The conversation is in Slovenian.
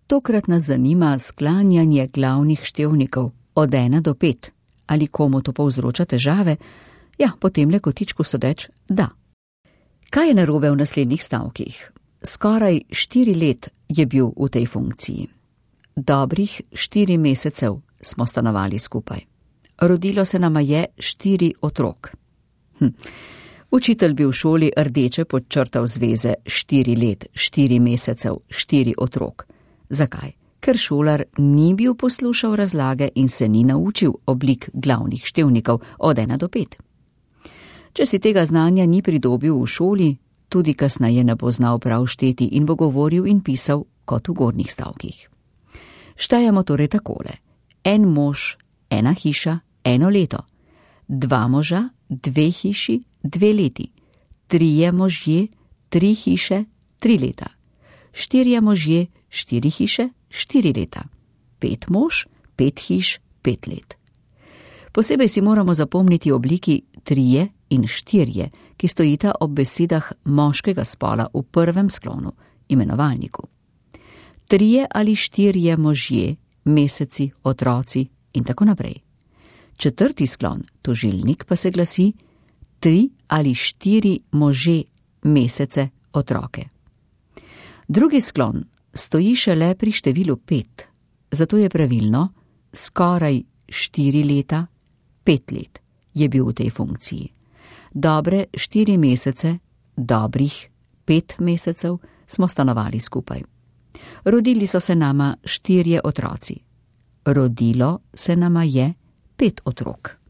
Tokrat nas zanima sklanjanje glavnih števnikov od 1 do 5. Ali komu to povzroča težave? Ja, potem le kotičku sodeč, da. Kaj je narobe v naslednjih stavkih? Skoraj 4 let je bil v tej funkciji. Dobrih 4 mesecev smo stanovali skupaj. Rodilo se nama je 4 otrok. Učitelj bi v šoli rdeče podčrtal zveze 4 let, 4 mesecev, 4 otrok. Zakaj? Ker šolar ni bil poslušal razlage in se ni naučil oblik glavnih števnikov od 1 do 5. Če si tega znanja ni pridobil v šoli, tudi kasneje ne bo znal prav šteti in bo govoril in pisal kot v gornjih stavkih. Štejemo torej takole. 1 mož, 1 hiša, 1 leto. 2 moža, 2 hiši, 2 leti. 3 možje, 3 hiše, 3 leta. 4 možje, 4 hiše, 4 leta. 5 mož, 5 hiš, 5 let. Posebej si moramo zapomniti obliki 3 in 4, ki stojita ob besedah moškega spola v prvem sklonu, imenovalniku. 3 ali 4 možje, meseci, otroci in tako naprej. 4. sklon, tožilnik, pa se glasi 3 ali 4 može, mesece, otroke. 2. sklon stoji šele pri številu 5, zato je pravilno skoraj 4 leta, 5 let je bil v tej funkciji. Dobre 4 mesece, dobrih 5 mesecev smo stanovali skupaj. Rodili so se nama 4 otroci. Rodilo se nama je 5 otrok.